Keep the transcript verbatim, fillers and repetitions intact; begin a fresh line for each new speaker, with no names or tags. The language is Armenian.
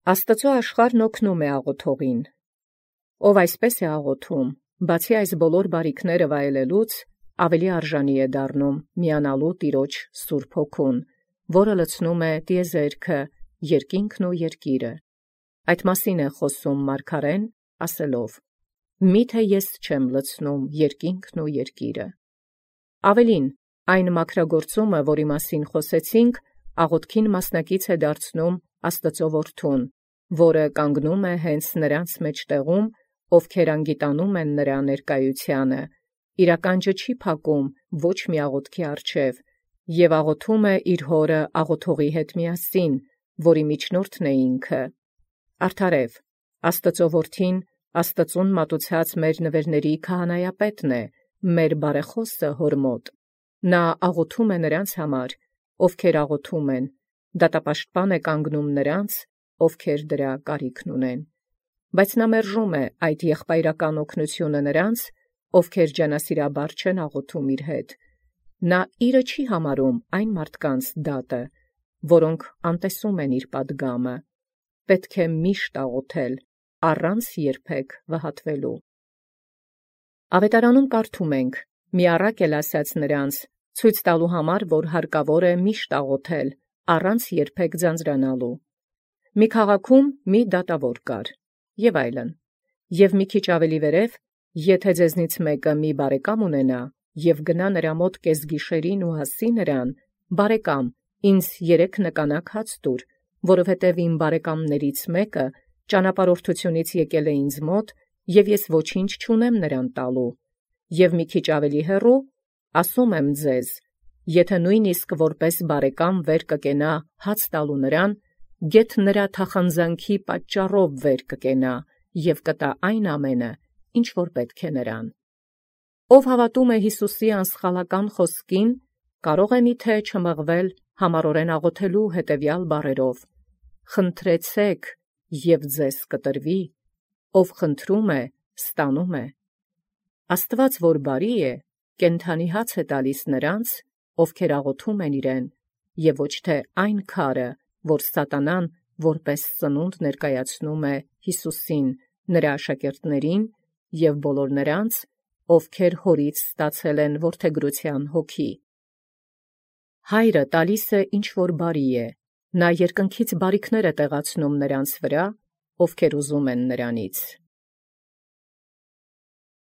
Աստուծոյ աշխարհն օգնում է աղոթողին, ով այսպես է աղոթում, բացի այս բոլոր բարիքները վայելելուց, ավելի արժանի է դառնում միանալու Տիրոջ Սուրբ Հոգուն, որը լցնում է տիեզերքը, երկինքն ու երկիրը։ Այդ մասին է խոսում մարգարեն, ասելով. «Միթե ես չեմ լցնում երկինքն ու երկիրը»։ Ավելին, այն մաքրագործումը, որի մասին խոսեցինք, աղոթքին մասնակից է դարձնում Աստծո Որդուն, որը կանգնում է հենց նրանց մեջտեղում, ովքեր անգիտանում են նրա ներկայութիւնը, իրականջը չի փակում ոչ մի աղոթքի առջև, և աղոթում է իր Հորը աղոթողի հետ միասին, որի միջնորդն է ինքը։ Արդարև, Աստծո Որդին Աստծուն մատուցած մեր նվերների քահանայապետն է, մեր բարեխոսը Հոր մոտ։ Նա աղոթում է նրանց համար, ովքեր աղոթում են, դատապաշտպան է կանգնում նրանց, ովքեր դրա կարիքն ունեն։ Բայց նա մերժում է այդ եղբայրական օգնությունը նրանց, ովքեր ջանասիրաբար չեն աղոթում իր հետ։ Նա իրը չի համարում այն մարդկանց դատը, որոնք անտեսում են իր պատգամը։ Պետք է միշտ աղոթել, առանց երբեք վհատվելու։ Ավետարանում կարդում ենք. «Մի առակ էլ ասաց նրանց, ցույց տալու համար, որ հարկավոր է միշտ աղոթել, առանց երբեք ձանձրանալու։ Մի քաղաքում մի դատավոր կար, և այլն։ Եվ մի քիչ ավելի վերև, եթե ձեզնից մեկը մի բարեկամ ունենա, և գնա նրա մոտ կեսգիշերին ու ասի նրան. «Բարեկամ, ինձ երեք նկանակ հաց տուր, որովհետև իմ բարեկամներից մեկը ճանապարհորդությունից եկել է ինձ մոտ, և ես ոչինչ չունեմ նրան տալու, և մի քիչ ավելի հեռու, ասում եմ ձեզ, եթե նույնիսկ որպես բարեկամ վեր կկենա հաց տալու նրան, գեթ նրա թախանձանքի պատճառով վեր կկենա և կտա այն ամենը, ինչ որ պետք է նրան»։ Ով հավատում է Յիսուսի անսխալական խոսքին, կարող է միթե չմղվել համառորեն աղոթելու հետևյալ բառերով. «Խնդրեցեք, և ձեզ կտրվի, ով խնդրում է, ստանում է»։ Աստուած, որ բարի է, կենդանի հաց է տալիս նրանց, ովքեր աղոթում են իրեն, և ոչ թե այն քարը, որ սատանան որպես սնունդ ներկայացնում է Յիսուսին, նրա աշակերտներին և բոլոր նրանց, ովքեր հորից ստացել են որդեգրության հոգի։ Հայրը տալիս է ինչ որ բարի է, նա երկնքից բարիքներ է տեղացնում նրանց վրա, ովքեր ուզում են նրանից։